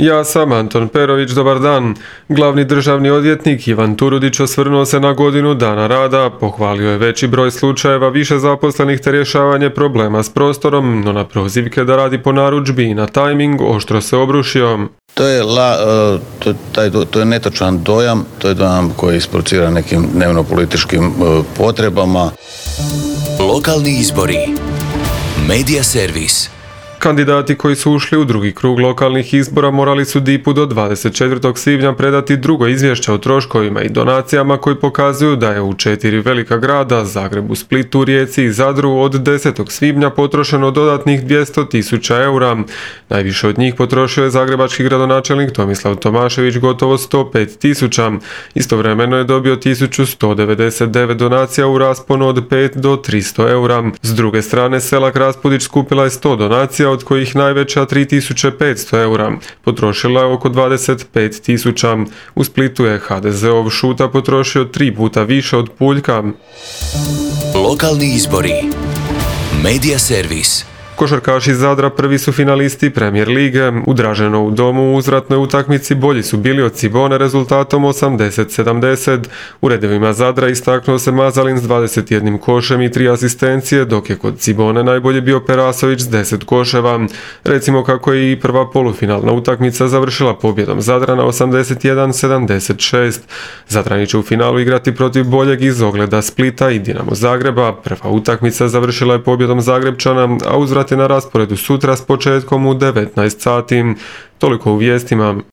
Ja sam Anton Perović, dobar dan. Glavni državni odvjetnik Ivan Turudić osvrnuo se na godinu dana rada, pohvalio je veći broj slučajeva, više zaposlenih te rješavanje problema s prostorom, no na prozivke da radi po narudžbi i na tajming oštro se obrušio. To je netočan dojam, to je dojam koji isprovocira nekim dnevno-političkim potrebama. Lokalni izbori. Medija servis. Kandidati koji su ušli u drugi krug lokalnih izbora morali su DIP-u do 24. svibnja predati drugo izvješće o troškovima i donacijama koji pokazuju da je u 4 velika grada, Zagrebu, Splitu, Rijeci i Zadru od 10. svibnja potrošeno dodatnih 200.000 eura. Najviše od njih potrošio je zagrebački gradonačelnik Tomislav Tomašević gotovo 105.000. Istovremeno je dobio 1199 donacija u rasponu od 5 do 300 eura. S druge strane, Selak Raspudić skupila je 100 donacija, od kojih najveća 3.500 eura. Potrošila je oko 25.000. U Splitu je HDZ-ov Šuta potrošio 3 puta više od Puljka. Lokalni izbori. Medija servis. Košarkaši iz Zadra prvi su finalisti Premier lige. U Draženovu domu u uzvratnoj utakmici bolji su bili od Cibone rezultatom 80-70. U redovima Zadra istaknuo se Mazalin s 21 košem i 3 asistencije, dok je kod Cibone najbolje bio Perasović s 10 koševa. Recimo kako je i prva polufinalna utakmica završila pobjedom Zadrana 81-76. Zadrani će u finalu igrati protiv boljeg iz Ogleda Splita i Dinamo Zagreba. Prva utakmica završila je pobjedom Zagrebčana, a uzvrat je na rasporedu sutra s početkom u 19 sati. Toliko u vijestima.